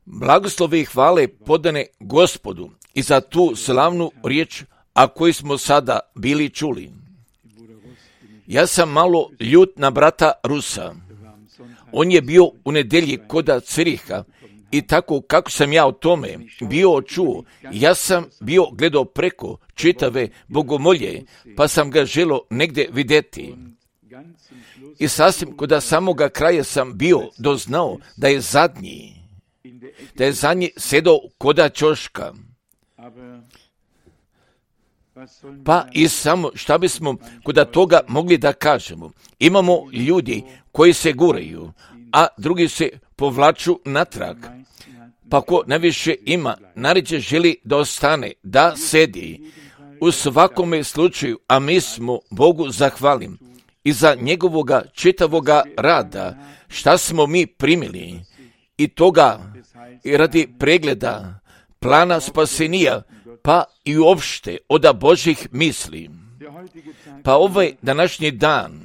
Blagoslove i hvale podane Gospodu i za tu slavnu riječ, a koju smo sada bili čuli. Ja sam malo ljut na brata Rusa. On je bio u nedjelji koda Ciriha i tako kako sam ja o tome bio čuo, ja sam bio gledao preko čitave bogomolje, pa sam ga želo negdje vidjeti. I sasvim koda samoga kraja sam bio doznao da je zadnji sedao koda ćoška. Pa i samo šta bismo koda toga mogli da kažemo. Imamo ljudi koji se guraju, a drugi se povlaču natrag. Pa ko najviše ima, naređe želi da ostane, da sedi. U svakome slučaju, a mi smo Bogu zahvalim i za njegovoga čitavoga rada, šta smo mi primili i toga i radi pregleda plana spasenija, pa i uopšte od Božih misli. Pa ovaj današnji dan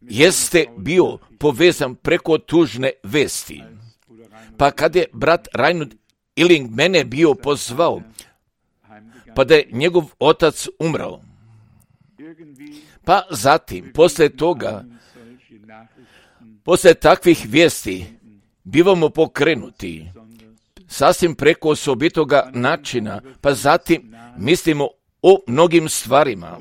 jeste bio povezan preko tužne vesti. Pa kad je brat Reinhard Illing mene bio pozvao, pa da je njegov otac umrao. Pa zatim, posle takvih vijesti, bivamo pokrenuti sasvim preko osobitoga načina, pa zatim mislimo o mnogim stvarima,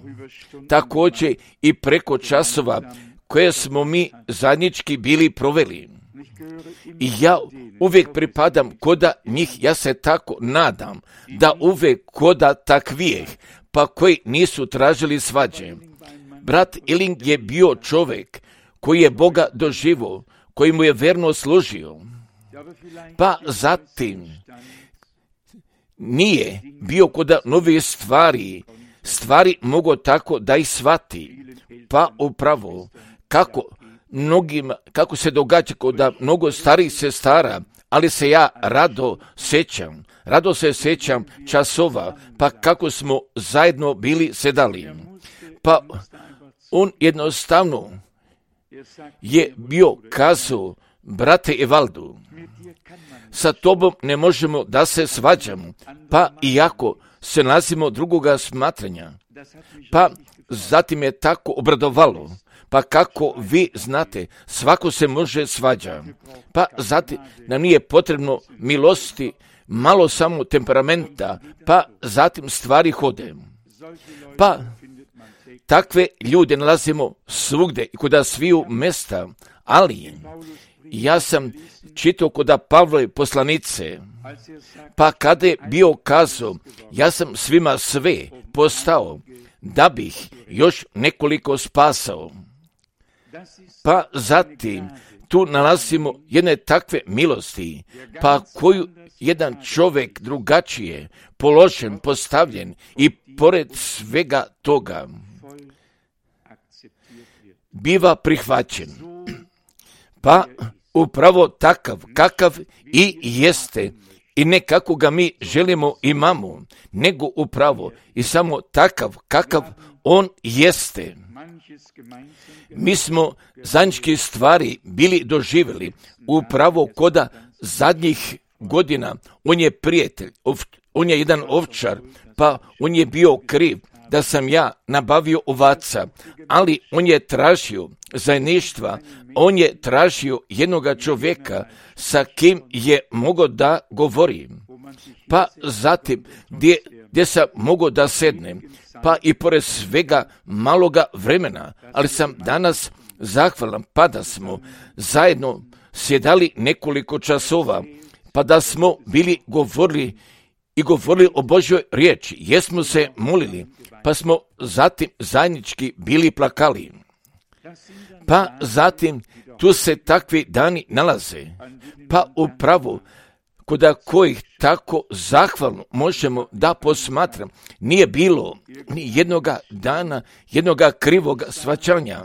također i preko časova koje smo mi zajednički bili proveli. I ja uvijek pripadam koda njih, ja se tako nadam, da uvijek koda takvijeh, pa koji nisu tražili svađe. Brat Illing je bio čovjek koji je Boga doživio, koji mu je verno služio. Pa zatim nije bio koda nove stvari mogu tako da ih shvati. Pa upravo kako se događa koda mnogo starih sestara, ali se ja rado se sećam časova, pa kako smo zajedno bili sedali. Pa on jednostavno je bio kazao, brate Evaldu, sa tobom ne možemo da se svađamo, pa iako se nalazimo drugoga smatranja. Pa zatim je tako obradovalo, pa kako vi znate, svako se može svađa. Pa zatim nam nije potrebno milosti, malo samo temperamenta, pa zatim stvari hode. Pa takve ljude nalazimo svugde i koda sviju mesta, ali ja sam čitao koda Pavlove poslanice, pa kada je bio kazao, ja sam svima sve postao, da bih još nekoliko spasao. Pa zatim tu nalazimo jedne takve milosti, pa koju jedan čovjek drugačije položen, postavljen i pored svega toga biva prihvaćen. Pa upravo takav kakav i jeste, i ne kako ga mi želimo imamo, nego upravo i samo takav kakav on jeste. Mi smo zajedničke stvari bili doživjeli upravo koda zadnjih godina. On je prijatelj, on je jedan ovčar, pa on je bio kriv da sam ja nabavio ovaca, ali on je tražio zajedništva, on je tražio jednoga čovjeka sa kim je mogao da govori. Pa zatim gdje sam mogao da sednem, pa i pored svega maloga vremena, ali sam danas zahvalan, pa da smo zajedno sjedali nekoliko časova, pa da smo bili govorili o Božjoj riječi, jesmo se molili, pa smo zatim zajednički bili plakali. Pa zatim tu se takvi dani nalaze, pa upravo koda kojih tako zahvalno možemo da posmatram, nije bilo ni jednoga dana, jednoga krivoga shvaćanja.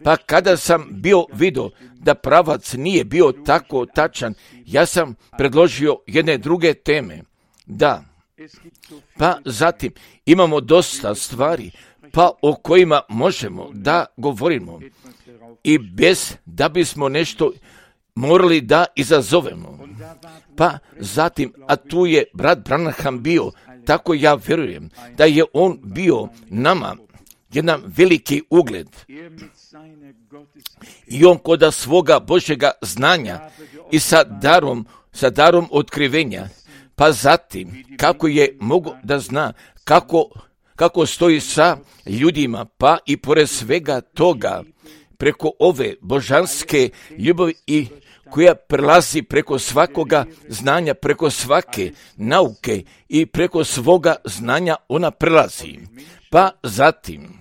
Pa kada sam bio vidio da pravac nije bio tako tačan, ja sam predložio jedne druge teme. Da, pa zatim imamo dosta stvari, pa o kojima možemo da govorimo. i bez da bismo nešto morali da izazovemo. Pa zatim, a tu je brat Branham bio, tako ja vjerujem da je on bio nama jedan veliki ugled. I on koda svoga Božjega znanja i sa darom otkrivenja, pa zatim kako je mogo da zna kako stoji sa ljudima, pa i pored svega toga, preko ove božanske ljubavi i koja prelazi preko svakoga znanja, preko svake nauke i preko svoga znanja ona prelazi. Pa zatim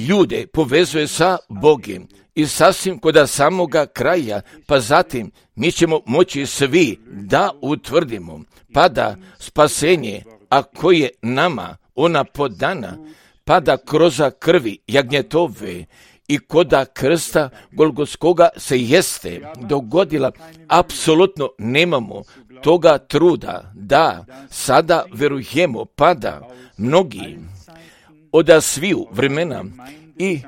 ljude povezuje sa Bogom i sasvim kod samoga kraja, pa zatim mi ćemo moći svi da utvrdimo, pa da spasenje, a koje nama ona podana, pa da kroz krvi jagnjetove i koda krsta Golgotskoga se jeste dogodila, apsolutno nemamo toga truda da sada verujemo, pa da mnogi od sviju vremena i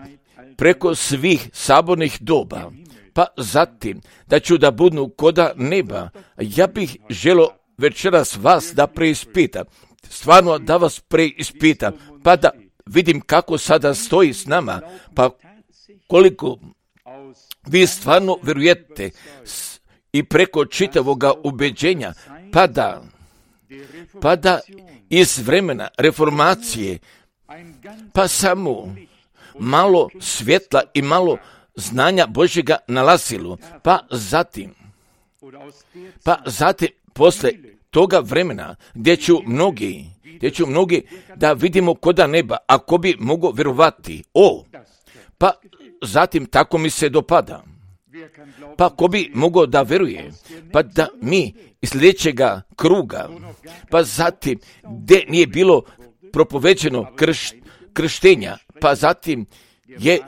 preko svih sabornih doba, pa zatim da ću da budu koda neba. Ja bih želio večeras vas da preispitam, stvarno da vas preispitam, pa da vidim kako sada stoji s nama, pa koliko vi stvarno vjerujete i preko čitavoga ubeđenja, pa da iz vremena reformacije, pa samo malo svjetla i malo znanja Božjega nalazilo, pa zatim posle toga vremena gdje ću mnogi da vidimo koda neba, ako bi mogo vjerovati, pa zatim tako mi se dopada. Pa ko bi mogao da veruje, pa da mi iz sljedećega kruga, pa zatim gdje nije bilo propoveđeno krštenja, pa zatim je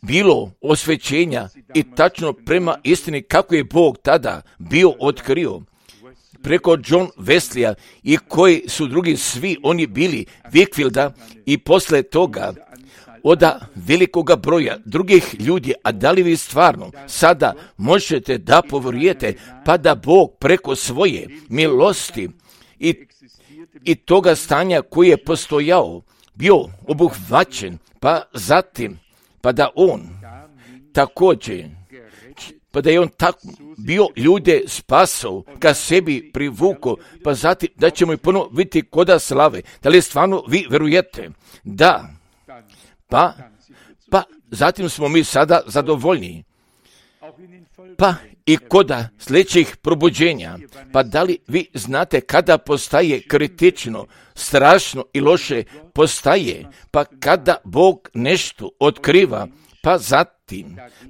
bilo osvećenja i tačno prema istini kako je Bog tada bio otkrio preko John Wesleya i koji su drugi svi oni bili Wickfielda i posle toga od velikoga broja drugih ljudi, a da li vi stvarno sada možete da povjerujete, pa da Bog preko svoje milosti i toga stanja koji je postojao, bio obuhvaćen, pa zatim, pa da on također, pa da je on tako bio ljude spasao, ka sebi privukao, pa zatim da ćemo i ponovo vidjeti koda slave. Da li stvarno vi verujete? Da. Pa zatim smo mi sada zadovoljni. Pa i koda sljedećih probuđenja, pa da li vi znate kada postaje kritično, strašno i loše postaje, pa kada Bog nešto otkriva,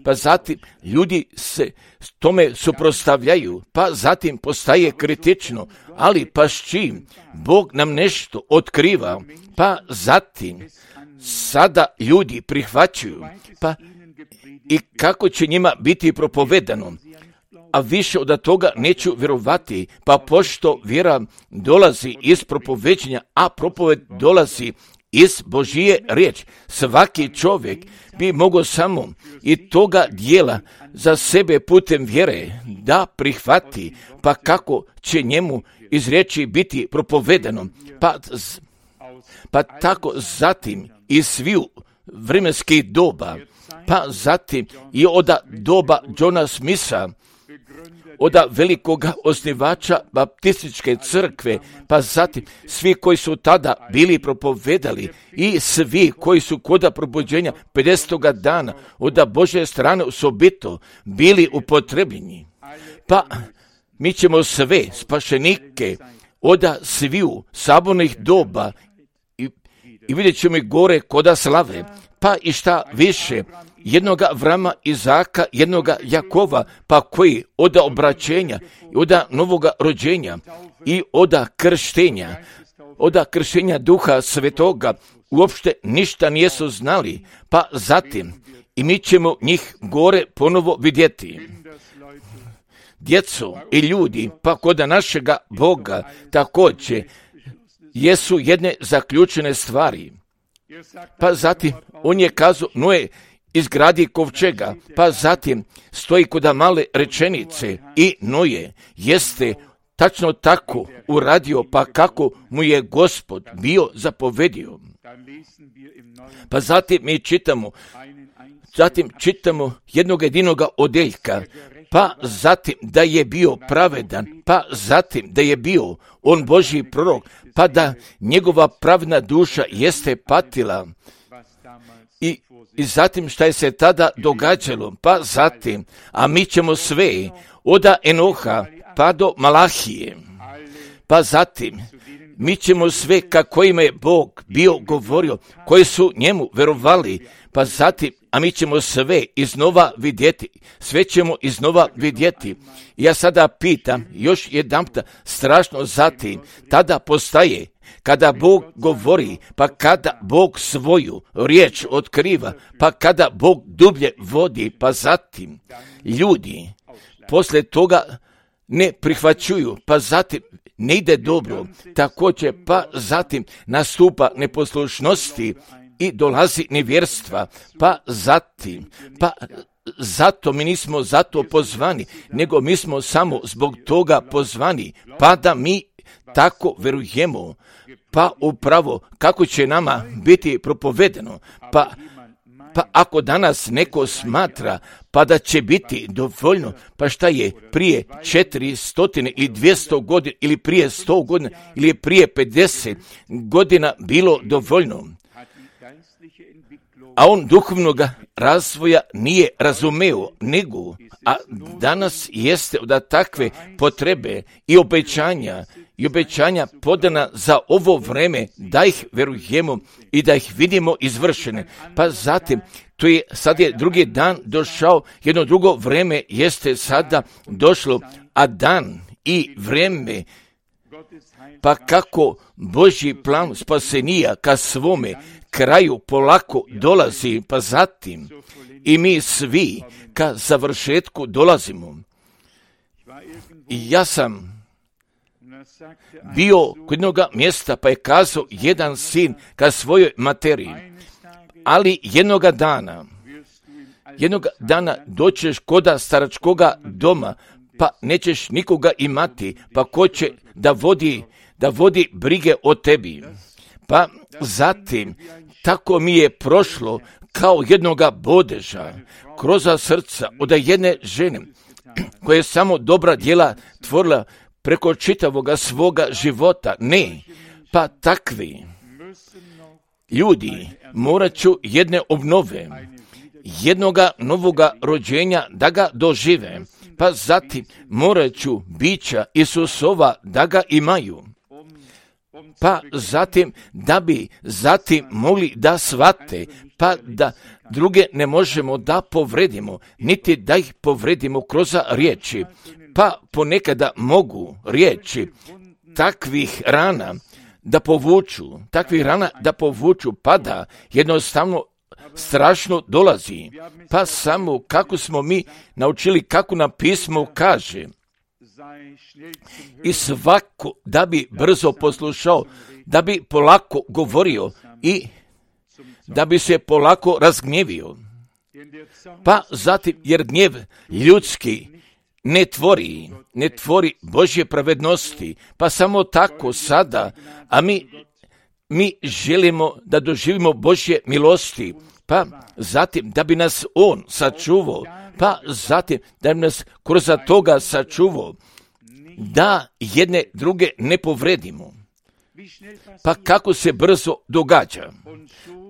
pa zatim ljudi se tome suprotstavljaju, pa zatim postaje kritično, ali pa s čim Bog nam nešto otkriva, pa zatim sada ljudi prihvaćaju, pa i kako će njima biti propovedano, a više od toga neću vjerovati, pa pošto vjera dolazi iz propoveđenja, a propoved dolazi iz Božije riječ, svaki čovjek bi mogao samo i toga dijela za sebe putem vjere da prihvati, pa kako će njemu iz riječi biti propovedano, pa tako zatim iz sviju vremenskih doba, pa zatim i od doba Johna Smitha, od velikoga osnivača baptističke crkve, pa zatim svi koji su tada bili propovedali i svi koji su koda probuđenja 50. dana od Božje strane osobito bili upotrebljeni. Pa mi ćemo sve spašenike od sviju sabornih doba i vidjet ćemo i gore koda slave, pa i šta više, jednoga Avrama, Izaka, jednoga Jakova, pa koji od obraćenja i od novoga rođenja i od krštenja Duha Svetoga uopšte ništa nijesu znali, pa zatim i mi ćemo njih gore ponovo vidjeti. Djeco i ljudi, pa kod našega Boga također jesu jedne zaključene stvari. Pa zatim on je kazao, Noe izgradi kovčega, pa zatim stoji kod male rečenice i Noe jeste tačno tako uradio, pa kako mu je Gospod bio zapovedio. Pa zatim mi čitamo jednog jedinoga odeljka, pa zatim da je bio pravedan, pa zatim da je bio on Božji prorok, pa da njegova pravna duša jeste patila. I zatim šta je se tada događalo, pa zatim, a mi ćemo sve od Enoha pa do Malahije, pa zatim mi ćemo sve kako im je Bog bio govorio, koji su njemu verovali, pa zatim, a mi ćemo sve iznova vidjeti, sve ćemo iznova vidjeti. Ja sada pitam, još jedanputa, strašno zatim, tada postaje, kada Bog govori, pa kada Bog svoju riječ otkriva, pa kada Bog dublje vodi, pa zatim ljudi poslije toga ne prihvaćuju, pa zatim ne ide dobro, također pa zatim nastupa neposlušnosti i dolazi nevjerstva, pa zatim, pa zato mi nismo zato pozvani, nego mi smo samo zbog toga pozvani, pa da mi tako verujemo, pa upravo kako će nama biti propovedeno, pa ako danas neko smatra, pa da će biti dovoljno, pa šta je prije 400 i 200 godina, ili prije 100 godina, ili prije 50 godina bilo dovoljno, a on duhovnog razvoja nije razumeo, nego, a danas jeste od takve potrebe i obećanja podana za ovo vreme, da ih verujemo i da ih vidimo izvršene. Pa zatim, sad je drugi dan došao, jedno drugo vreme jeste sada došlo, a dan i vreme, pa kako Božji plan spasenija ka svome kraju polako dolazi, pa zatim i mi svi ka završetku dolazimo. I ja sam bio kod jednog mjesta, pa je kazao jedan sin ka svojoj materiji, ali jednog dana doćeš koda staračkoga doma, pa nećeš nikoga imati, pa ko će da vodi brige o tebi. Pa zatim, tako mi je prošlo kao jednoga bodeža kroz srca od jedne žene koja je samo dobra djela tvorila preko čitavoga svoga života. Ne, pa takvi ljudi morat ću jedne obnove, jednoga novoga rođenja da ga dožive, pa zatim morat ću bića Isusova da ga imaju. Pa zatim, da bi zatim mogli da shvate, pa da druge ne možemo da povredimo, niti da ih povredimo kroz riječi, pa ponekada mogu riječi takvih rana da povuču, pa da jednostavno strašno dolazi, pa samo kako smo mi naučili, kako nam pismo kaže, i svako da bi brzo poslušao, da bi polako govorio i da bi se polako razgnjevio. Pa zatim, jer gnjev ljudski ne tvori Božje pravednosti, pa samo tako sada, a mi želimo da doživimo Božje milosti, pa zatim da bi nas On sačuvao, pa zatim da bi nas kroz toga sačuvao, da jedne druge ne povredimo. Pa kako se brzo događa?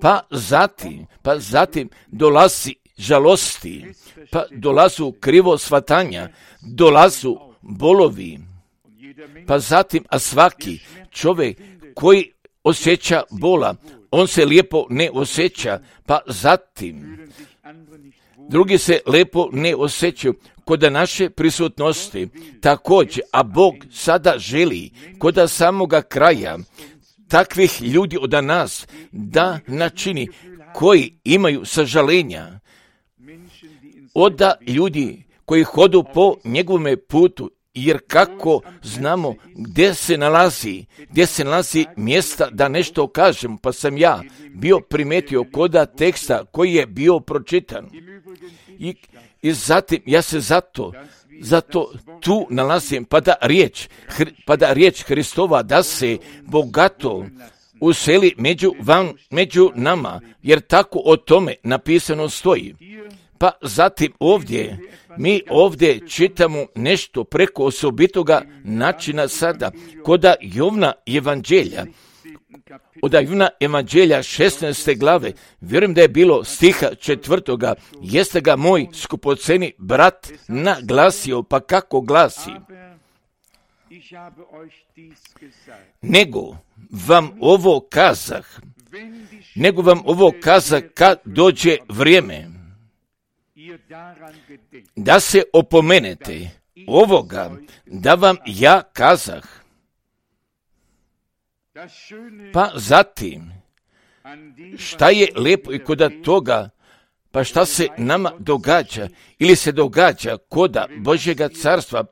Pa zatim dolazi žalosti, pa dolazu krivo shvatanja, dolazu bolovi, pa zatim, a svaki čovjek koji osjeća bola, on se lijepo ne osjeća, pa zatim drugi se lijepo ne osjećaju kod naše prisutnosti također, a Bog sada želi kod samoga kraja takvih ljudi od nas da načini koji imaju sažalenja, od ljudi koji hodu po njegovome putu jer kako znamo gdje se nalazi mjesta da nešto kažem, pa sam ja bio primetio koda teksta koji je bio pročitan. I zatim ja se zato tu nalazim, pa da riječ Hristova da se bogato useli među nama, jer tako o tome napisano stoji. Pa zatim mi ovdje čitamo nešto preko osobitoga načina sada, koda Jovna evanđelja. Od Jovna evanđelja 16. glave, vjerujem da je bilo stiha 4. jeste ga moj skupoceni brat naglasio, pa kako glasi? Nego vam ovo kazah kad dođe vrijeme, da se opomenete ovoga, da vam ja kazah. Pa zatim, šta je lijepo i kod toga, pa šta se nama događa, ili se događa koda Božjega carstva,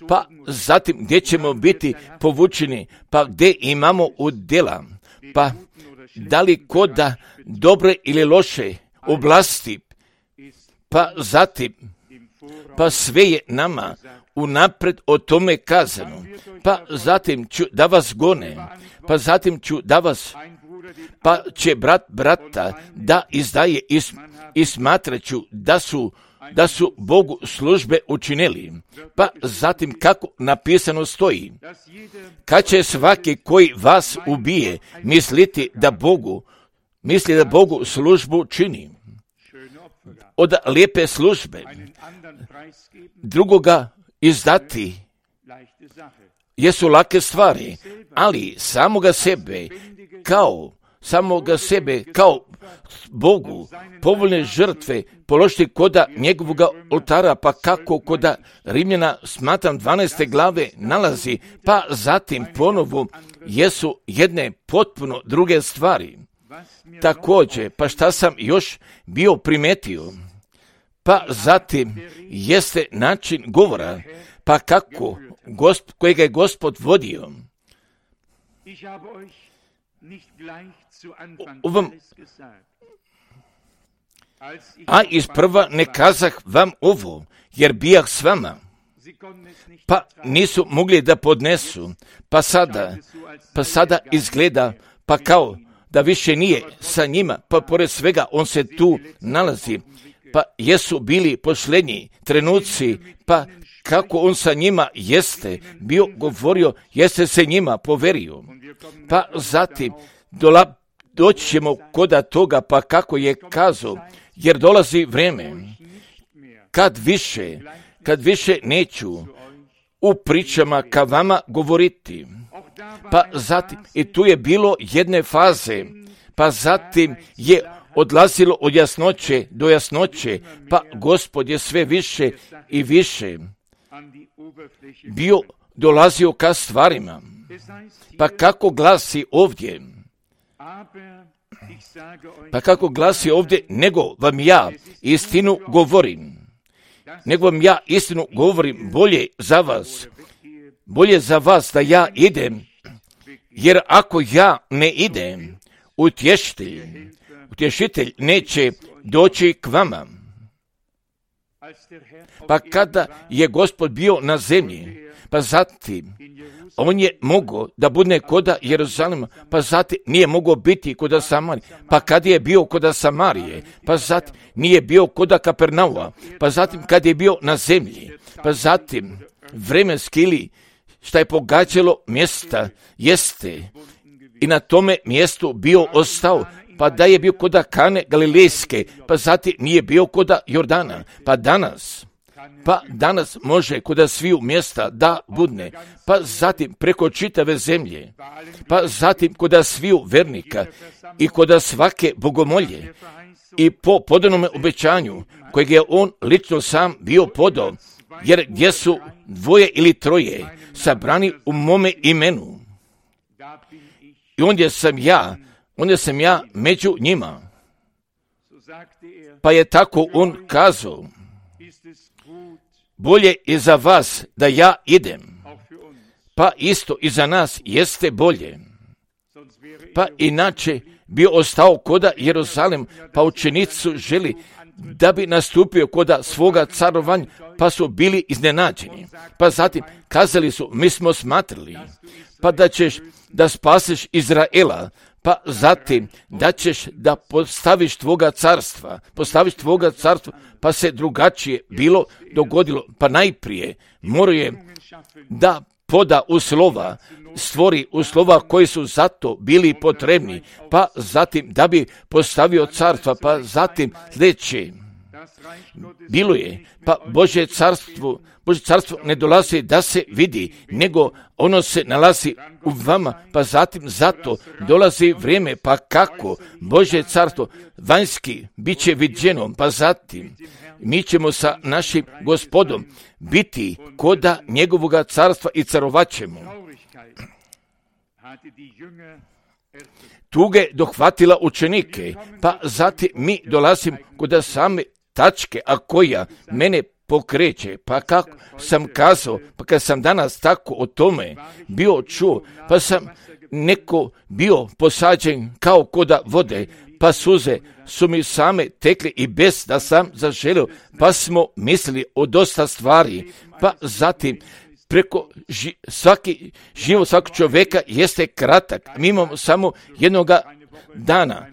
pa zatim gdje ćemo biti povučeni, pa gdje imamo udjela, pa da li koda dobre ili loše oblasti, pa zatim, pa sve je nama unapred o tome kazano, pa zatim ću da vas gone, pa zatim ću da vas, pa će brata da izdaje i smatraću da su Bogu službe učinili, pa zatim kako napisano stoji, kad će svaki koji vas ubije misli da Bogu službu čini. Od lijepe službe drugoga izdati jesu lake stvari, ali samoga sebe kao Bogu povoljne žrtve položiti koda njegovoga oltara, pa kako koda Rimljana smatram 12. glave nalazi, pa zatim ponovo jesu jedne potpuno druge stvari. Također, pa šta sam još bio primetio, pa zatim jeste način govora, pa kako kojega je Gospod vodio. A isprva ne kazah vam ovo, jer bijah s vama, pa nisu mogli da podnesu, pa sada izgleda, pa kao da više nije sa njima, pa pored svega on se tu nalazi, pa jesu bili posljednji trenuci, pa kako on sa njima jeste bio govorio, jeste se njima poverio, pa zatim doći ćemo koda toga, pa kako je kazao, jer dolazi vrijeme kad više neću u pričama ka vama govoriti. Pa zatim, i tu je bilo jedne faze, pa zatim je odlazilo od jasnoće do jasnoće, pa Gospod je sve više i više bio dolazio ka stvarima. Pa kako glasi ovdje? Nego vam ja istinu govorim bolje za vas da ja idem, jer ako ja ne idem, utješitelj neće doći k vama. Pa kada je Gospod bio na zemlji, pa zatim on je mogao da bude koda Jeruzalema, pa zatim nije mogao biti koda Samarije, pa kad je bio koda Samarije, pa zatim nije bio koda Kapernauma, pa zatim kad je bio na zemlji, pa zatim vremenski ili šta je pogađalo mjesta jeste i na tome mjestu bio ostao, pa da je bio koda Kane Galilejske, pa zatim nije bio koda Jordana, pa danas može koda sviju mjesta da budne, pa zatim preko čitave zemlje, pa zatim koda sviju vernika i koda svake bogomolje i po podanome obećanju kojeg je on lično sam bio podao, jer gdje su 2 ili 3 sabrani u mome imenu, i ondje sam ja među njima. Pa je tako on kazao, bolje je za vas da ja idem, pa isto i za nas jeste bolje. Pa inače bi ostao koda Jerusalem, pa učenici želi da bi nastupio koda svoga carovanja, pa su bili iznenađeni. Pa zatim kazali su, mi smo smatrali, pa da ćeš da spasiš Izraela, pa zatim da ćeš da postaviš tvoga carstva, pa se drugačije bilo dogodilo. Pa najprije moraju da poda uslova, stvori uslova koji su zato bili potrebni, pa zatim da bi postavio carstva, pa zatim sljedeće. Bilo je, pa Božje carstvo ne dolazi da se vidi, nego ono se nalazi u vama, pa zatim zato dolazi vrijeme, pa kako Božje carstvo vanjski bit će viđeno, pa zatim mi ćemo sa našim Gospodom biti koda njegovoga carstva i carovat ćemo. Tuge dohvatila učenike, pa zatim mi dolazim kod same tačke, a koja mene pokreće, pa kako sam kazao, pa kad sam danas tako o tome bio čuo, pa sam neko bio posađen kao koda vode, pa suze su mi same tekli i bez da sam zaželio, pa smo mislili o dosta stvari, pa zatim preko život svakog čovjeka jeste kratak. Mi imamo samo jednoga dana,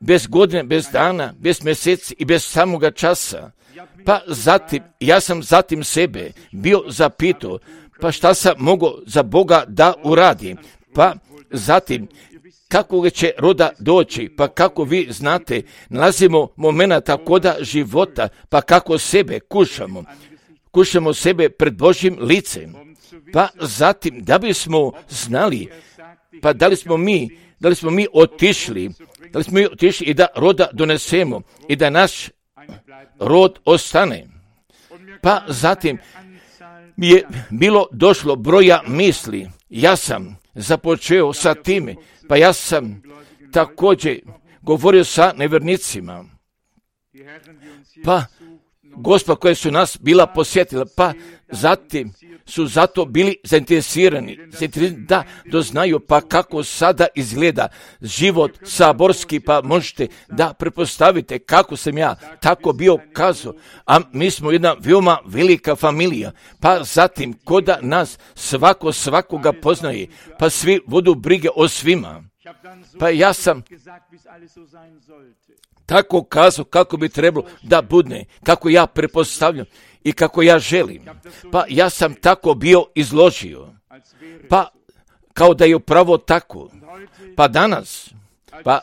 bez godine, bez dana, bez mjeseci i bez samoga časa. Pa zatim, ja sam zatim sebe bio zapitao, pa šta sam mogao za Boga da uradim? Pa zatim, kako će roda doći, pa kako vi znate, nalazimo momenata koda života, pa kako sebe kušamo sebe pred Božjim licem, pa zatim da bismo znali, pa da li smo mi otišli i da roda donesemo i da naš rod ostane. Pa zatim mi je bilo došlo broja misli, ja sam započeo sa time, pa ja sam također govorio sa nevjernicima, pa Gospa koja su nas bila posjetila, pa zatim su zato bili zainteresirani da doznaju pa kako sada izgleda život saborski, pa možete da pretpostavite kako sam ja tako bio kazao, a mi smo jedna veoma velika familija, pa zatim koda nas svakoga poznaje, pa svi vodu brige o svima, pa ja sam tako kazao kako bi trebalo da bude, kako ja pretpostavljam i kako ja želim. Pa ja sam tako bio izložio. Pa kao da je upravo tako. Pa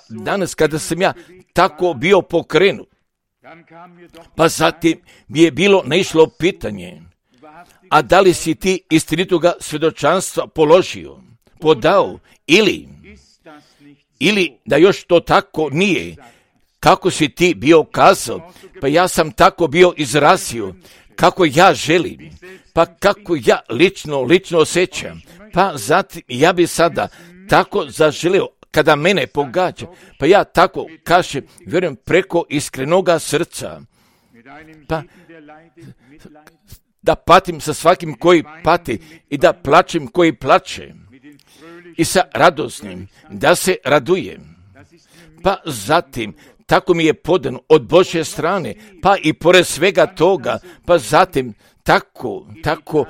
danas kada sam ja tako bio pokrenut, pa zatim mi je bilo naišlo pitanje, a da li si ti istinitoga svjedočanstva podao ili da još to tako nije, kako si ti bio kazao, pa ja sam tako bio izrazio, kako ja želim, pa kako ja lično osjećam, pa zatim ja bi sada tako zaželio kada mene pogađa, pa ja tako kažem, vjerujem preko iskrenoga srca, pa da patim sa svakim koji pati i da plačem koji plače i sa radosnim da se radujem, pa zatim tako mi je podano od Božje strane, pa i pored svega toga, pa zatim tako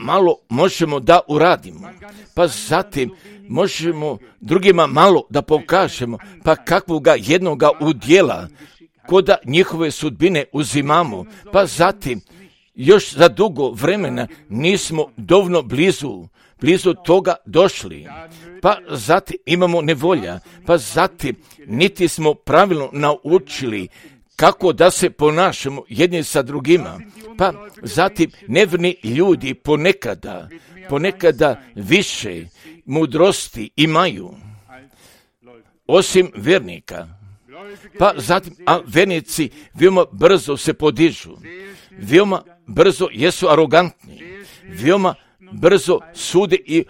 malo možemo da uradimo, pa zatim možemo drugima malo da pokažemo, pa kakvoga jednoga udjela, koda njihove sudbine uzimamo, pa zatim još za dugo vremena nismo dovoljno blizu toga došli, pa zatim imamo nevolja, pa zatim niti smo pravilno naučili kako da se ponašamo jedni sa drugima, pa zatim nevjerni ljudi ponekada više mudrosti imaju osim vjernika, pa zatim a vjernici veoma brzo se podižu, veoma brzo jesu arogantni, veoma brzo sude i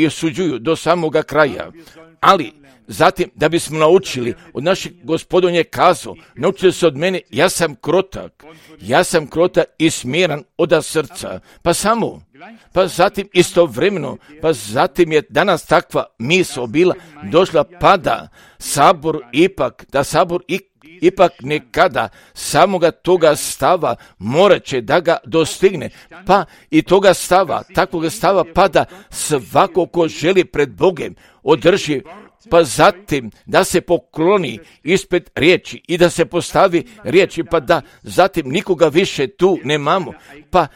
osuđuju do samoga kraja, ali zatim da bismo naučili od našeg Gospodin je kazao, naučili se od mene, ja sam krotak i smiren od srca, pa zatim istovremeno, pa zatim je danas takva misao bila došla, pa da sabor ipak nekada samoga toga stava morat će da ga dostigne, pa i toga stava, takvog stava, pa da svako ko želi pred Bogem održi, pa zatim da se pokloni ispred riječi i da se postavi riječi, pa da zatim nikoga više tu nemamo, pa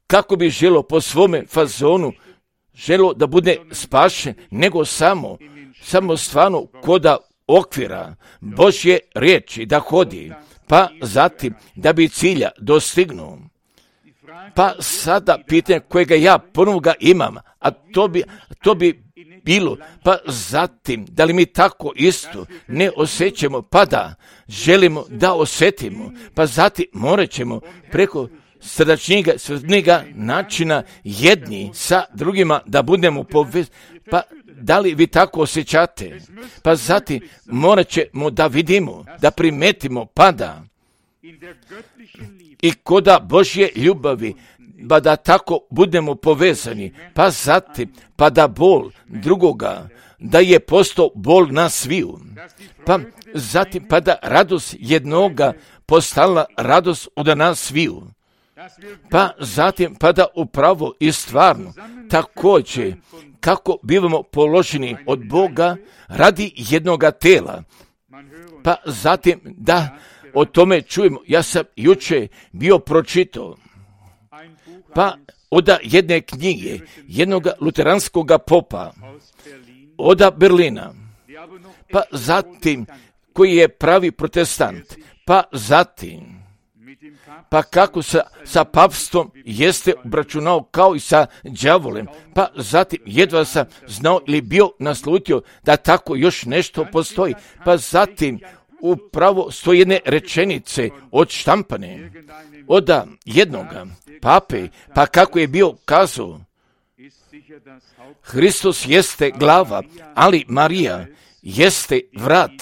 kako bi želo po svome fazonu želo da bude spašen, nego samo stvarno koda okvira Božje riječi da hodi, pa zatim da bi cilja dostignuo. Pa sada pitanje kojega ja ponovno ga imam, a to bi bilo, pa zatim da li mi tako isto ne osjećamo, pa da želimo da osjetimo, pa zatim morat ćemo preko srdačnjega načina jedni sa drugima da budemo povezani, pa da li vi tako osjećate? Pa zatim morat ćemo da vidimo, da primetimo, pa da i koda Božje ljubavi, pa da tako budemo povezani, pa zatim, pa da bol drugoga, da je postao bol na sviju, pa zatim, pa da radost jednoga postala radost od nas sviju, pa zatim, pa da upravo i stvarno također kako bivamo položeni od Boga radi jednoga tela, pa zatim da o tome čujemo. Ja sam juče bio pročitao, pa od jedne knjige jednog luteranskog popa od Berlina, pa zatim koji je pravi protestant, pa zatim pa kako sa papstvom jeste obračunao kao i sa đavolem, pa zatim jedva sam znao ili bio naslutio da tako još nešto postoji, pa zatim upravo 101 rečenice odštampane od jednoga pape, pa kako je bio kazao, Hristos jeste glava, ali Marija jeste vrat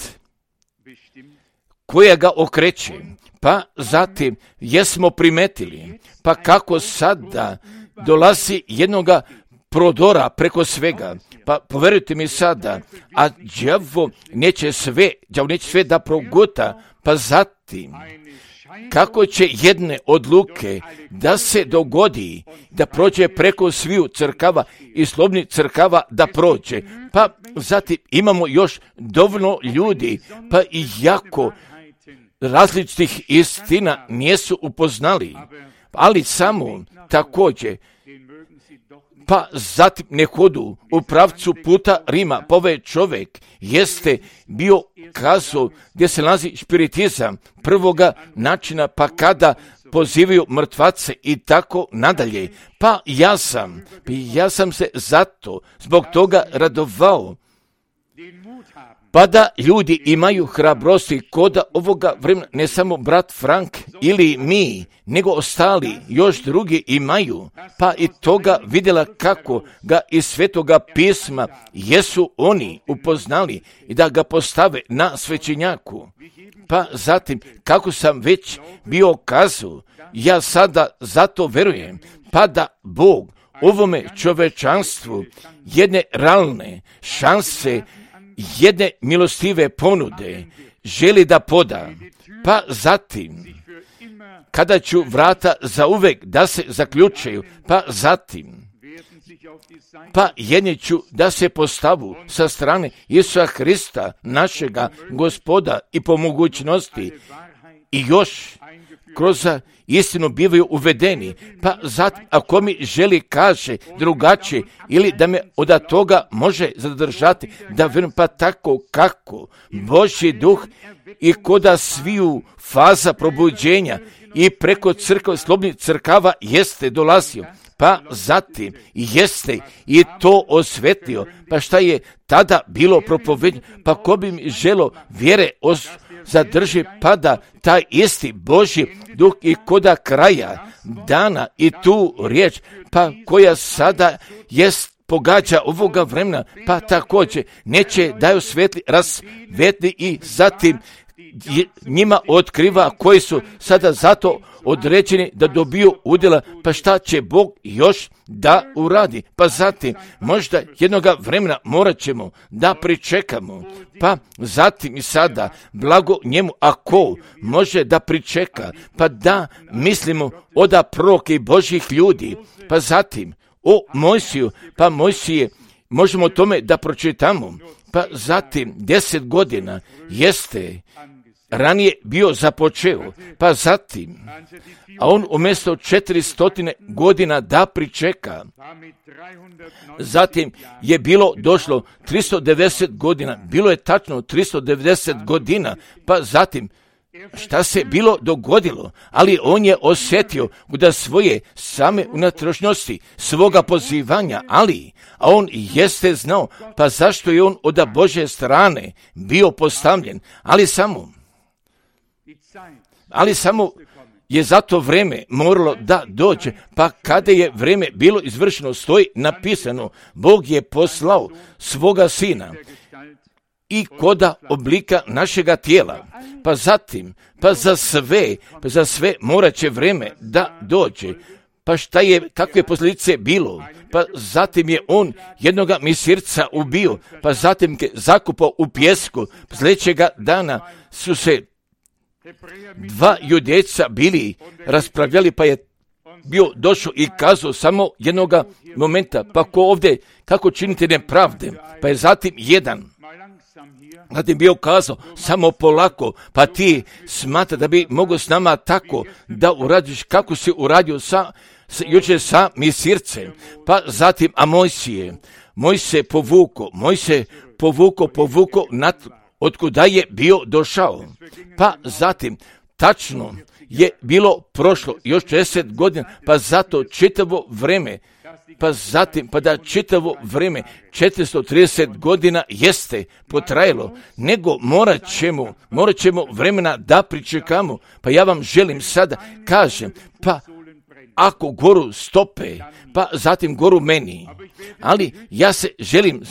koja ga okreće. Pa zatim jesmo primetili, pa kako sada dolazi jednoga prodora preko svega, pa poverujte mi sada, a đavo neće sve da progota, pa zatim kako će jedne odluke da se dogodi, da prođe preko sviju crkava i slobodnih crkava da prođe, pa zatim imamo još dovoljno ljudi, pa i jako različitih istina nisu upoznali, ali samo također, pa zatim ne hodu u pravcu puta Rima, pa ovaj čovjek jeste bio kazao gdje se nalazi spiritizam prvoga načina, pa kada pozivaju mrtvace i tako nadalje, pa ja sam se zbog toga radovao, pa da ljudi imaju hrabrosti koda ovoga vremena, ne samo brat Frank ili mi, nego ostali još drugi imaju, pa i toga vidjela kako ga iz Svetoga pisma jesu oni upoznali i da ga postave na svećenjaku. Pa zatim, kako sam već bio kazao, ja sada zato verujem, pa da Bog ovome čovečanstvu jedne realne šanse, jedne milostive ponude želi da poda, pa zatim kada ću vrata zauvek da se zaključaju, pa zatim pa jedni ću da se postavu sa strane Isusa Hrista, našega Gospoda, i po mogućnosti i još kroz istinu bivaju uvedeni, pa zatim ako mi želi kaže drugačije ili da me od toga može zadržati, da verujem, pa tako kako Božji duh i koda sviju faza probuđenja i preko crkve slobodnih crkava jeste dolazio, pa zatim jeste i to osvetlio, pa šta je tada bilo propovedeno, pa ko bi mi želo vjere zadrži, pa da taj isti Božji duh i koda kraja dana i tu riječ, pa koja sada jest pogađa ovoga vremena, pa također neće daju svetli rasvetli i zatim njima otkriva koji su sada zato određeni da dobiju udjela, pa šta će Bog još da uradi. Pa zatim možda jednoga vremena morat ćemo da pričekamo, pa zatim i sada blago njemu ako može da pričeka, pa da mislimo oda proroke i Božjih ljudi, pa zatim o Mojsiju, pa Mojsije možemo o tome da pročitamo, pa zatim 10 godina jeste ranije bio započeo, pa zatim, a on umjesto 400 godina da pričeka, zatim je bilo došlo 390 godina, bilo je tačno 390 godina, pa zatim šta se bilo dogodilo, ali on je osjetio da svoje same unutrašnjosti, svoga pozivanja, a on jeste znao, pa zašto je on od Božje strane bio postavljen, ali samo je za to vreme moralo da dođe, pa kada je vreme bilo izvršeno, stoji napisano, Bog je poslao svoga sina i koda oblika našega tijela, pa zatim, pa za sve morat će vreme da dođe, pa šta je, kakve posljedice bilo, pa zatim je on jednoga misirca ubio, pa zatim je zakupao u pjesku, sljedećega dana su se 2 judejca bili raspravljali, pa je bio došao i kazao samo jednoga momenta, pa ko ovdje, kako činite nepravde, pa je zatim bio kazao, samo polako, pa ti smatra da bi mogao s nama tako da uradiš kako si uradio jučer sa misircem, pa zatim, a Moj se povukao otkuda je bio došao, pa zatim, tačno je bilo prošlo još 10 godina, pa zato čitavo vreme, čitavo vreme 430 godina jeste potrajalo, nego morat ćemo vremena da pričekamo, pa ja vam želim sada, kažem, pa ako goru stope, pa zatim goru meni, ali ja se želim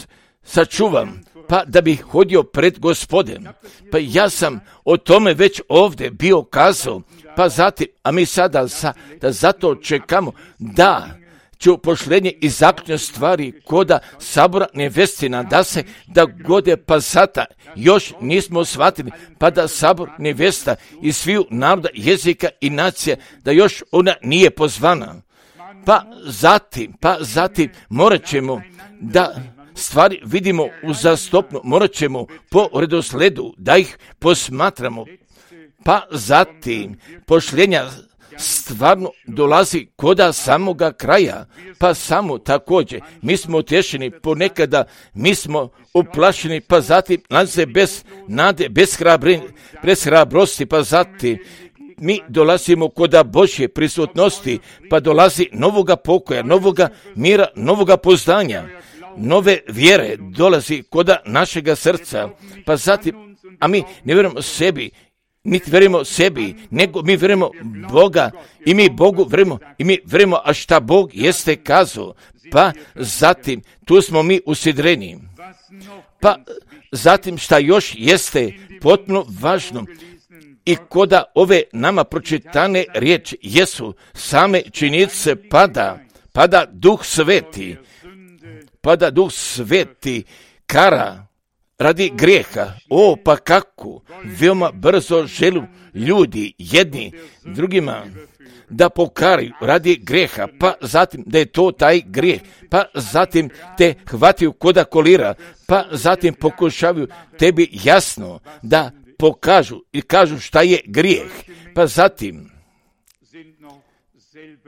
sačuvam, pa da bih hodio pred Gospodem, pa ja sam o tome već ovdje bio kazao, pa zatim, a mi sada da zato čekamo da će pošlenje i zaključne stvari koda sabora nevestina da gode, pa sada još nismo shvatili, pa da sabor nevesta i sviju naroda, jezika i nacija, da još ona nije pozvana. Pa zatim morat ćemo da stvari vidimo uzastopno, morat ćemo po redosledu da ih posmatramo, pa zatim pošljenja stvarno dolazi koda samoga kraja, pa samo također mi smo utješeni, ponekada mi smo uplašeni, pa zatim nalaze bez nade, bez hrabrosti, pa zatim mi dolazimo koda Božje prisutnosti, pa dolazi novoga pokoja, novoga mira, novoga poznanja, nove vjere dolazi koda našega srca, pa zatim, a mi ne vjerujemo sebi, niti vjerujemo sebi, nego mi vjerujemo Boga i mi Bogu vjerujemo i mi vjerujemo, a šta Bog jeste kazao, pa zatim tu smo mi usidreni. Pa zatim šta još jeste potpuno važno i koda ove nama pročitane riječi jesu same činjenice pada Duh Sveti, kara radi grijeha. Pa kako veoma brzo želu ljudi jedni drugima da pokaraju radi grijeha, pa zatim da je to taj grijeh, pa zatim te hvataju koda kolira, pa zatim pokušavaju tebi jasno da pokažu i kažu šta je grijeh, pa zatim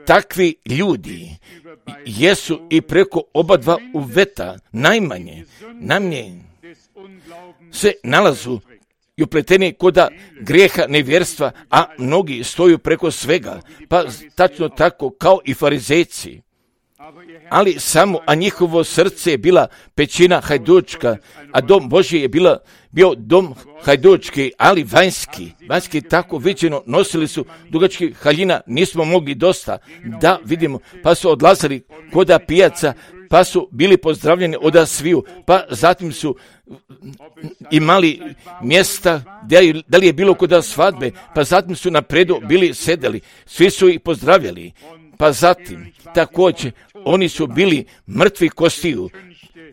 takvi ljudi jesu i preko oba dva uveta najmanje se nalazu i upleteni koda grijeha nevjerstva, a mnogi stoju preko svega, pa tačno tako kao i farizejci. ali samo, a njihovo srce je bila pećina hajdučka, a dom Božji je bio dom hajdučki, ali vanjski tako viđeno, nosili su dugački haljina, nismo mogli dosta da vidimo, pa su odlazili koda pijaca, pa su bili pozdravljeni od sviju, pa zatim su imali mjesta, da li je bilo koda svadbe, pa zatim su na predu bili sedeli, svi su ih pozdravljali, pa zatim također oni su bili mrtvi kostiju,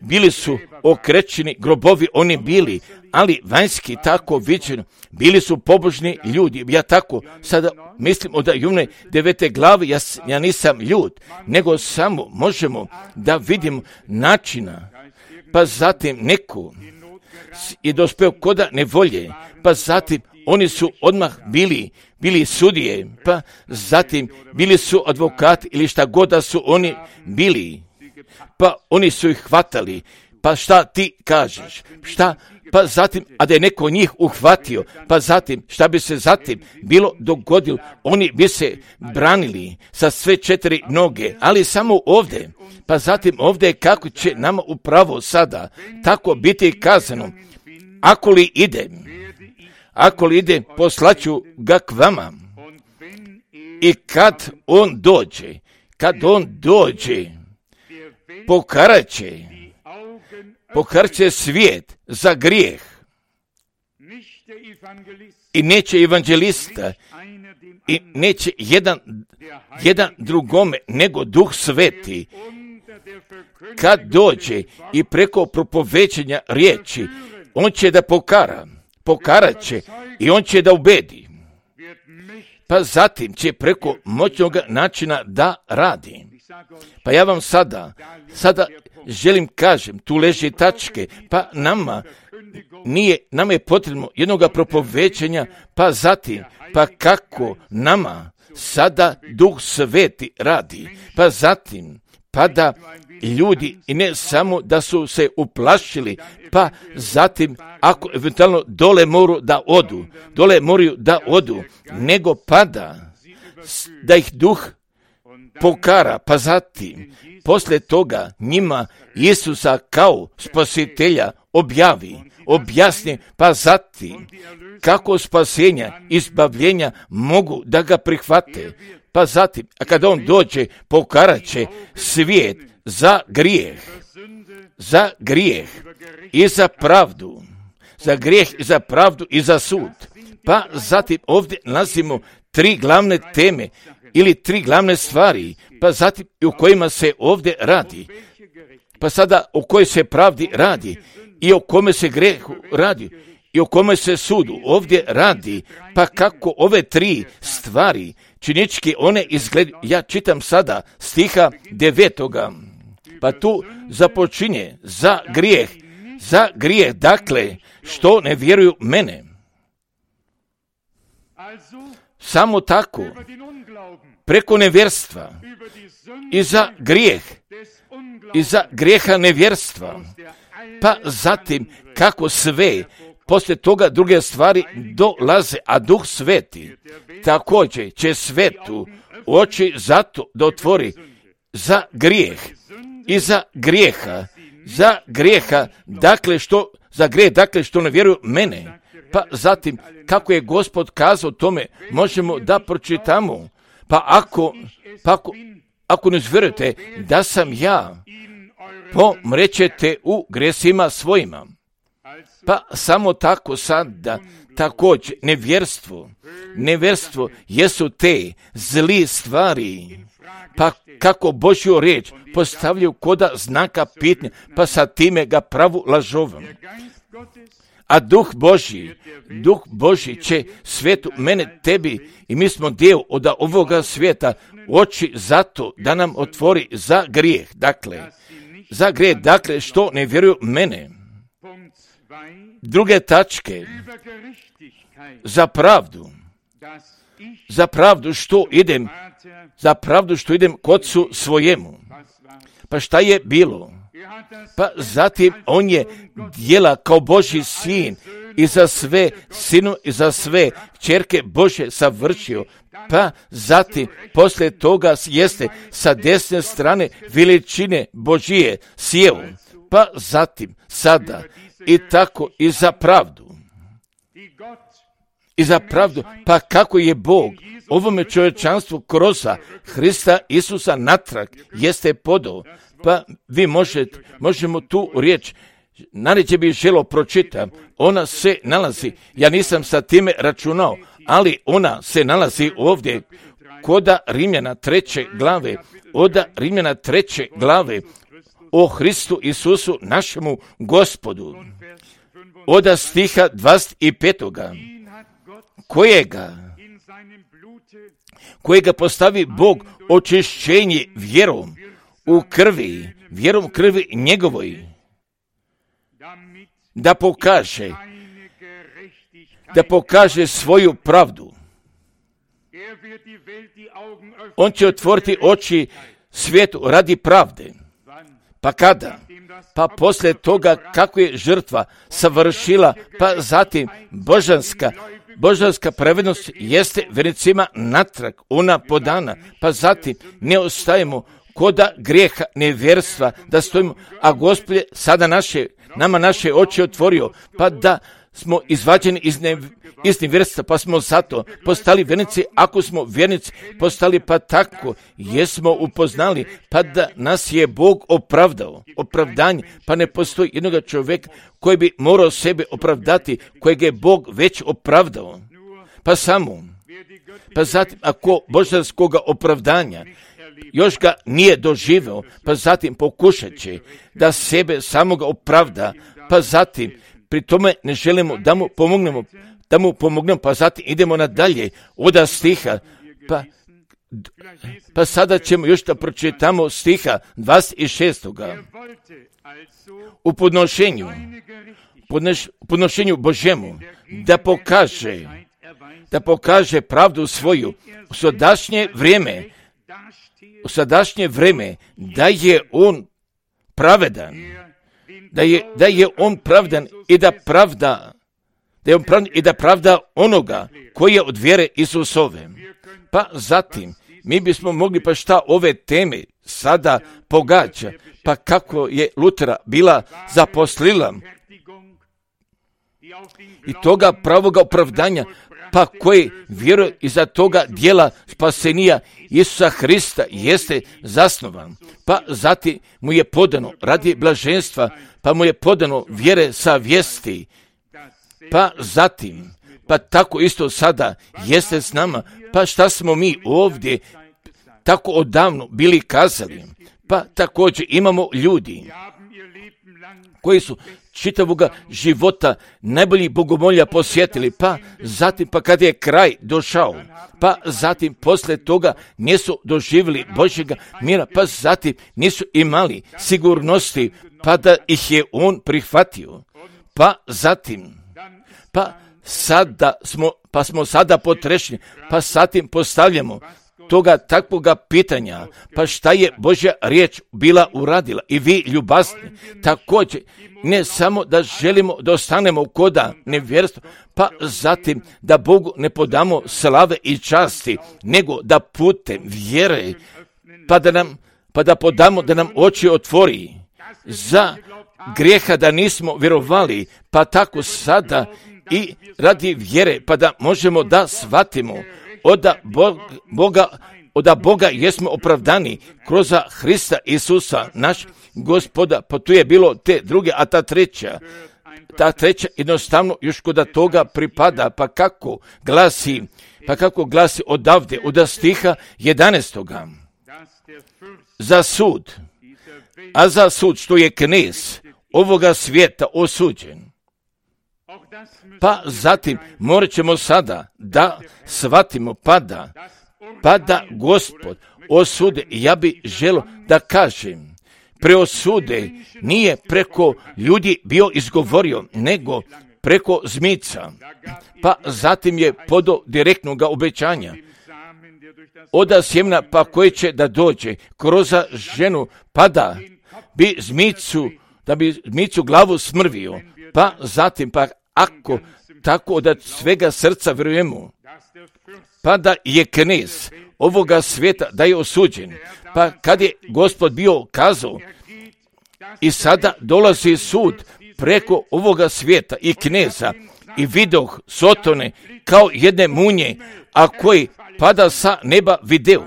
bili su okrećeni grobovi, oni bili, ali vanjski tako viđeno, bili su pobožni ljudi. Ja tako sada mislim od June 9. glave, ja nisam ljud, nego samo možemo da vidimo načina, pa zatim neko je dospeo koda nevolje, pa zatim oni su odmah bili sudije, pa zatim bili su advokati ili šta god da su oni bili, pa oni su ih hvatali, pa šta ti kažeš, pa zatim, a da je neko njih uhvatio, pa zatim, šta bi se zatim bilo dogodilo, oni bi se branili sa sve 4 noge, ali samo ovdje, pa zatim ovdje kako će nama upravo sada tako biti kazano, ako li ide, poslaću ga k vama. I kad on dođe, pokarat će svijet za grijeh. I neće evanđelista, i neće jedan drugome, nego Duh Sveti. Kad dođe i preko propovećenja riječi, on će da pokarat će i on će da ubedi. Pa zatim će preko moćnog načina da radi. Pa ja vam sada želim kažem, tu leži tačke, pa nama je potrebno jednoga propovećenja, pa zatim, pa kako nama sada Duh Sveti radi, pa zatim, pa da ljudi, i ne samo da su se uplašili, pa zatim, ako eventualno dole moraju da odu, nego pa da ih Duh pokara, pa zatim, poslije toga njima Isusa kao spasitelja objasni, pa zatim, kako spasenja, izbavljenja mogu da ga prihvate, pa zatim, a kada on dođe, pokarat će svijet za grijeh i za pravdu, za grijeh i za pravdu i za sud. Pa zatim ovdje nalazimo 3 glavne teme ili 3 glavne stvari, pa zatim i o kojima se ovdje radi. Pa sada o kojoj se pravdi radi i o kome se grehu radi i o kome se sudu ovdje radi, pa kako ove 3 stvari činički one izgledaju. Ja čitam sada stiha 9. Pa tu započinje za grijeh, dakle, što ne vjeruju mene. Samo tako, preko nevjerstva i za grijeha nevjerstva, pa zatim kako sve, poslije toga druge stvari dolaze, a Duh Sveti također će svetu oči zato da otvori za grijeh i za grijeha, dakle što ne vjeruju mene. Pa zatim, kako je Gospod kazao tome, možemo da pročitamo. Pa ako ne vjerujete da sam ja, pomrećete u gresima svojima. Pa samo tako sada, također nevjerstvo jesu te zli stvari, pa kako Božju riječ postavljaju koda znaka pitnja, pa sa time ga pravu lažovom. A Duh Božji će svijetu, mene, tebi, i mi smo dio od ovoga svijeta, oči zato da nam otvori za grijeh, dakle, što ne vjeruju mene. Druge tačke, za pravdu što idem k Otcu svojemu. Pa šta je bilo? Pa zatim on je djela kao Božji sin i za sve sinu i za sve kćerke Bože savršio, pa zatim poslije toga jeste sa desne strane veličine Božije sjeo, pa zatim sada i tako i za pravdu. I za pravdu, pa kako je Bog ovome čovječanstvu kroz Hrista Isusa natrag jeste podao, pa vi možemo tu riječ, najređe bih želio pročitam, ona se nalazi, ja nisam sa time računao, ali ona se nalazi ovdje koda Rimljana 3. glave, od Rimljana 3. glave o Hristu Isusu našemu Gospodu, od stiha 25. kojega postavi Bog očišćenje vjerom u krvi, vjerom krvi njegovoj, da pokaže svoju pravdu. On će otvoriti oči svijetu radi pravde. Pa kada? Pa poslije toga kako je žrtva savršila, pa zatim božanska pravednost jeste vjernicima natrag, ona podana, pa zatim ne ostajemo koda grijeha nevjerstva da stojimo, a Gospod je sada nama naše oči otvorio, pa da smo izvađeni iz nevjerstva, pa smo zato postali vjernici, ako smo vjernici postali, pa tako jesmo upoznali, pa da nas je Bog opravdao, opravdanje, pa ne postoji jednog čovjeka koji bi morao sebe opravdati, kojeg je Bog već opravdao, pa zatim ako božanskoga opravdanja još ga nije doživeo, pa zatim pokušat će da sebe samoga opravda, pa zatim pri tome ne želimo da mu pomognemo, pa zatim idemo nadalje od stiha, pa sada ćemo još da pročitamo stiha 26. U podnošenju Božemu da pokaže pravdu svoju u sadašnje vrijeme, da je on pravedan, da je on pravdan i da pravda onoga koji je od vjere Isusove. Pa zatim mi bismo mogli, pa šta ove teme sada pogađa, pa kako je Lutera bila zaposlila i toga pravoga opravdanja, pa koji vjeruje iza toga dijela spasenija Isusa Hrista jeste zasnovan, pa zatim mu je podano radi blaženstva, pa mu je podano vjere sa vijesti, pa zatim, pa tako isto sada jeste s nama, pa šta smo mi ovdje tako odavno bili kazali, pa također imamo ljudi koji su čitavoga života najboljih bogomolja posjetili, pa zatim, pa kad je kraj došao, pa zatim poslije toga nisu doživjeli Božjega mira, pa zatim nisu imali sigurnosti, pa da ih je on prihvatio, pa zatim, smo sada potrešni, pa zatim postavljamo toga takvoga pitanja, pa šta je Božja riječ bila uradila i vi ljubazni, također ne samo da želimo da ostanemo koda nevjerstva, pa zatim da Bogu ne podamo slave i časti, nego da putem vjere, pa da podamo da nam oči otvori za grijeha da nismo vjerovali, pa tako sada i radi vjere, pa da možemo da shvatimo od Boga jesmo opravdani kroz Hrista Isusa naš Gospoda, pa tu je bilo te druge, a ta treća jednostavno još kod toga pripada, pa kako glasi odavde, od stiha 11. Za sud što je knez ovoga svijeta osuđen. Pa zatim morat ćemo sada da shvatimo, pa da Gospod osude. Ja bi želio da kažem, preosude nije preko ljudi bio izgovorio, nego preko zmica. Pa zatim je podao direktnog obećanja od sjemena, pa koje će da dođe kroz ženu, pa da bi zmicu glavu smrvio, pa zatim, ako tako da svega srca vjerujemo, pa da je knez ovoga svijeta da je osuđen, pa kad je Gospod bio kazao i sada dolazi sud preko ovoga svijeta i kneza i vidoh Sotone kao jedne munje, a koji pada sa neba video.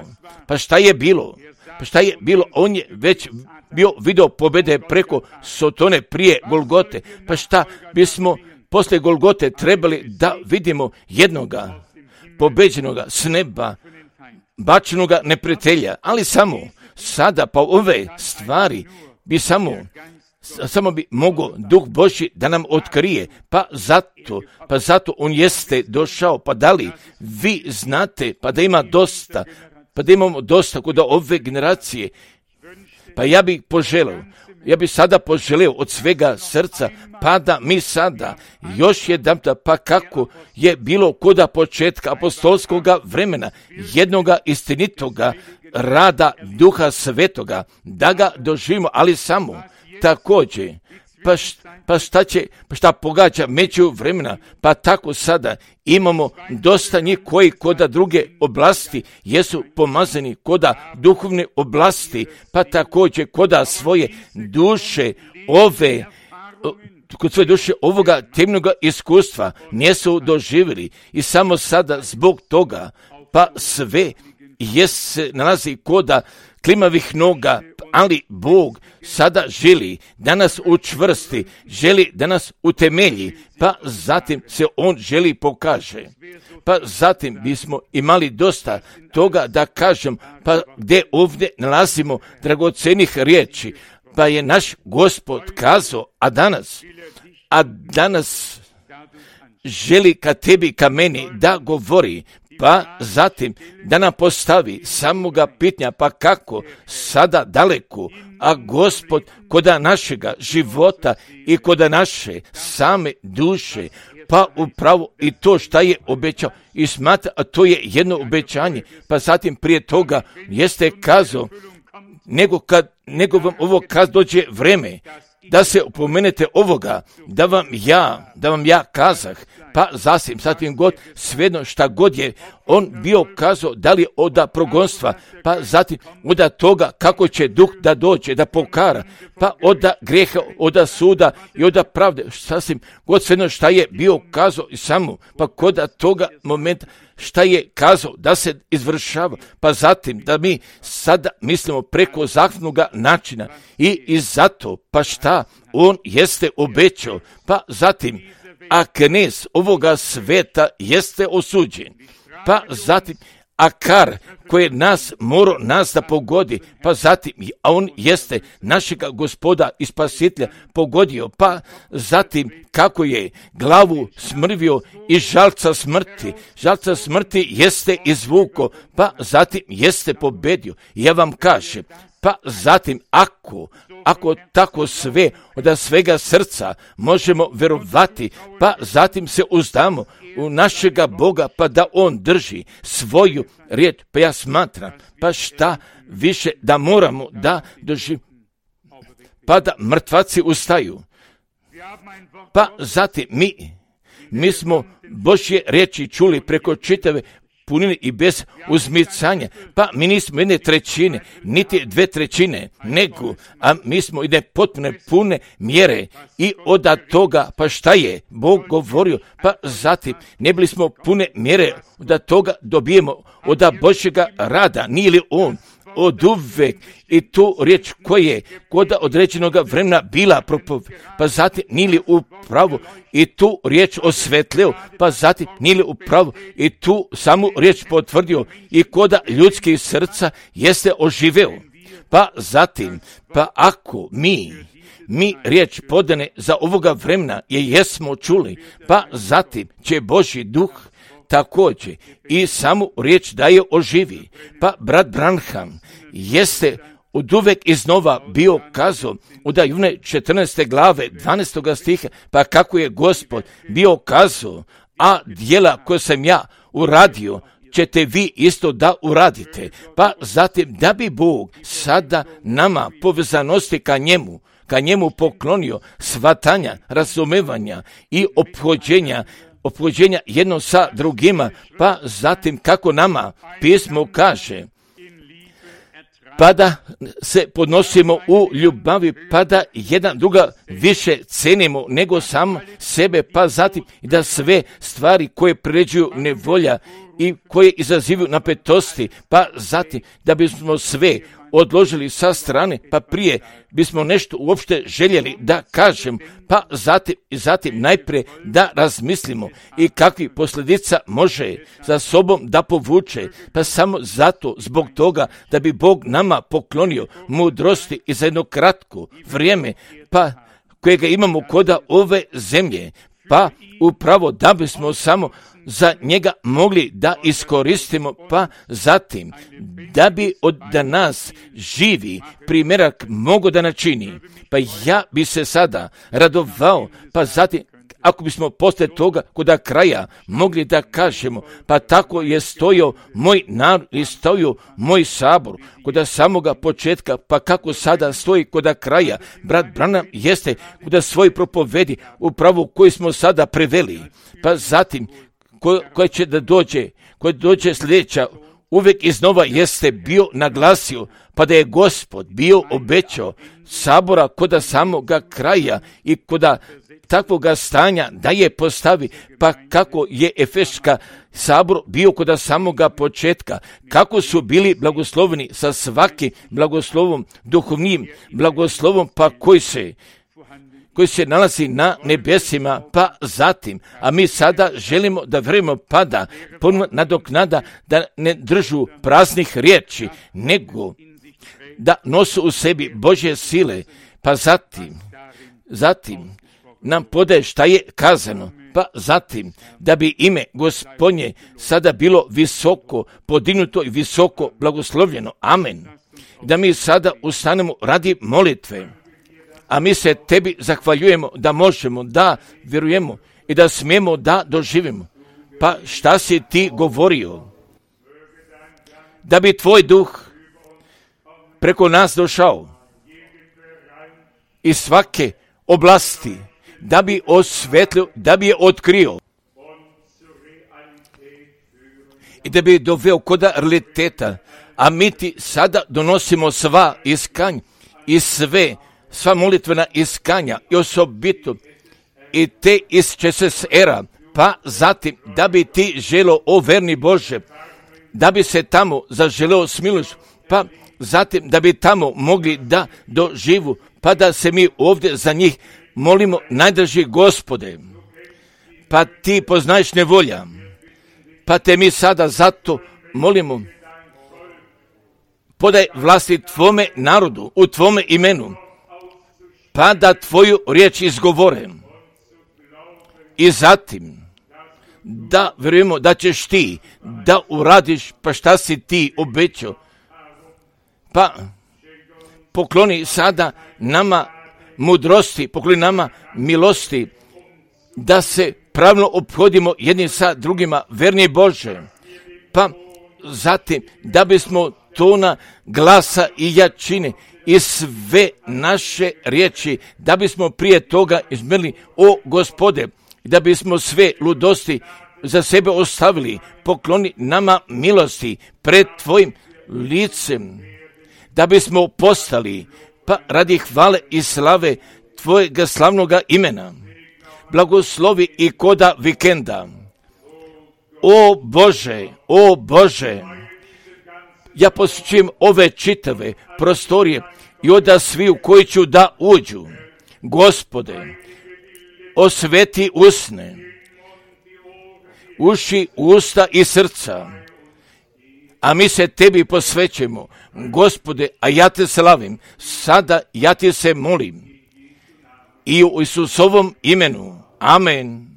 Pa šta je bilo? On je već bio video pobjede preko Sotone prije Golgote. Pa šta bismo poslije Golgote trebali da vidimo jednoga pobeđenoga s neba, bačenoga neprijatelja, ali samo sada pa ove stvari bi samo bi mogao Duh Božji da nam otkrije, pa zato on jeste došao, pa da li vi znate, pa da imamo dosta kod ove generacije, pa ja bih sada poželeo od svega srca, pa da mi sada još jedan, pa kako je bilo koda početka apostolskoga vremena, jednoga istinitoga rada Duha Svetoga, da ga doživimo, ali samo također, šta pogađa među vremena, pa tako sada imamo dosta njih koji koda druge oblasti jesu pomazani, koda duhovne oblasti, pa također koda svoje duše kod svoje duše ovoga temnoga iskustva nisu doživjeli i samo sada zbog toga, pa sve se nalazi koda klimavih noga, ali Bog sada želi da nas učvrsti, želi da nas utemelji, pa zatim se On želi pokaže. Pa zatim bismo imali dosta toga da kažem, pa gdje ovdje nalazimo dragocenih riječi, pa je naš Gospod kazao, a danas želi ka tebi, ka meni da govori, pa zatim da nam postavi samoga pitanja, pa kako sada daleko, a Gospod koda našega života i koda naše same duše, pa upravo i to šta je obećao i smatra, a to je jedno obećanje, pa zatim prije toga jeste kazao, nego vam ovo kad dođe vreme, da se opomenete ovoga, da vam ja kazah, pa zatim god, svejedno šta god je on bio kazao, da li oda progonstva, pa zatim oda toga kako će Duh da dođe, da pokara, pa oda grijeha, oda suda i oda pravde, sasvim god svejedno šta je bio kazao i samo, pa koda toga momenta šta je kazao da se izvršava, pa zatim da mi sada mislimo preko zakonodavnog načina i zato, pa šta on jeste obećao, pa zatim, a knez ovoga sveta jeste osuđen, pa zatim, a kar koje morao nas da pogodi, pa zatim, a on jeste našega Gospoda i Spasitelja pogodio, pa zatim kako je glavu smrvio i žalca smrti jeste izvuko, pa zatim jeste pobedio. Ja vam kažem, pa zatim ako tako sve od svega srca možemo vjerovati, pa zatim se uzdamo u našega Boga, pa da On drži svoju riječ, pa ja smatram, pa šta više da moramo da doživimo, pa da mrtvaci ustaju, pa zatim mi smo Božje riječi čuli preko čitave punine i bez uzmicanja, pa mi nismo 1/3, niti 2/3, nego, a mi smo ide potpune pune mjere i od toga, pa šta je Bog govorio, pa zatim ne bili smo pune mjere, od toga dobijemo od Božjega rada, nije li On od uvek i tu riječ koje kod određenog vremena bila pa zatim nije li upravo i tu riječ osvetlio, pa zatim nije li upravo i tu samu riječ potvrdio i kod ljudskih srca jeste oživeo, pa zatim, pa ako mi riječ podane za ovoga vremena jesmo čuli, pa zatim će Božji Duh također i samu riječ da je oživi. Pa brat Branham jeste od uvek iznova bio kazao u Jovane 14. glave 12. stiha, pa kako je Gospod bio kazao, a djela koje sam ja uradio ćete vi isto da uradite. Pa zatim da bi Bog sada nama povezanosti ka njemu, ka njemu poklonio shvatanja, razumevanja i ophođenja jedno sa drugima, pa zatim kako nama pismo kaže, pa da se podnosimo u ljubavi, pa da jedan druga više cenimo nego sam sebe, pa zatim da sve stvari koje priređuju nevolja i koje izazivaju napetosti, pa zatim da bismo sve odložili sa strane, pa prije bismo nešto uopšte željeli da kažem, pa zatim najprije da razmislimo i kakvi posljedica može za sobom da povuče, pa samo zato, zbog toga da bi Bog nama poklonio mudrosti i za jedno kratko vrijeme, pa kojega imamo koda ove zemlje, pa upravo da bismo samo za njega mogli da iskoristimo, pa zatim da bi od nas živi primjerak mogo da načini. Pa ja bi se sada radovao, pa zatim ako bismo poslije toga koda kraja mogli da kažemo, pa tako je stojio moj narod i stojio moj sabor koda samoga početka, pa kako sada stoji koda kraja. Brat Branham jeste koda svoj propovedi upravo koji smo sada preveli, pa zatim koja će da dođe sljedeća, uvijek iznova jeste bio naglasio, pa da je Gospod bio obećao sabora koda samoga kraja i koda takvoga stanja da je postavi, pa kako je Efeška sabor bio koda samoga početka, kako su bili blagosloveni sa svakim blagoslovom, duhovnim blagoslovom, pa koji se nalazi na nebesima, pa zatim, a mi sada želimo da vjerujemo, pa da ponovno nadoknada da ne držu praznih riječi, nego da nosu u sebi Božje sile, pa zatim nam podaje šta je kazano, pa zatim da bi ime Gospodnje sada bilo visoko podignuto i visoko blagoslovljeno. Amen. Da mi sada ustanemo radi molitve. A mi se tebi zahvaljujemo da možemo, da vjerujemo i da smijemo da doživimo. Pa šta si ti govorio? Da bi tvoj duh preko nas došao iz svake oblasti, da bi osvetlio, da bi je otkrio i da bi je doveo koda realiteta. A mi ti sada donosimo sva iskanja i sva molitvena iskanja i osobito i te iz ČSSR-a, pa zatim da bi ti želo, o verni Bože, da bi se tamo zaželeo smilost, pa zatim da bi tamo mogli da doživu, pa da se mi ovdje za njih molimo, najdraži Gospode, pa ti poznaješ nevolja, pa te mi sada zato molimo, podaj vlasti tvome narodu, u tvome imenu, pa da tvoju riječ izgovore i zatim da vjerujemo da ćeš ti da uradiš pa šta si ti obećao, pa pokloni sada nama mudrosti, pokloni nama milosti, da se pravilno ophodimo jedni sa drugima, verni Bože, pa zatim da bismo tona glasa i jačine i sve naše riječi, da bismo prije toga izmerili, o Gospode, da bismo sve ludosti za sebe ostavili, pokloni nama milosti pred tvojim licem, da bismo postali, pa radi hvale i slave tvojega slavnoga imena, blagoslovi i koda vikenda. O Bože, ja posjećujem ove čitave prostorije i oda sviju koji ću da uđu. Gospode, osveti usne, uši, usta i srca, a mi se tebi posvećujemo. Gospode, a ja te slavim, sada ja ti se molim i u Isusovom imenu. Amen.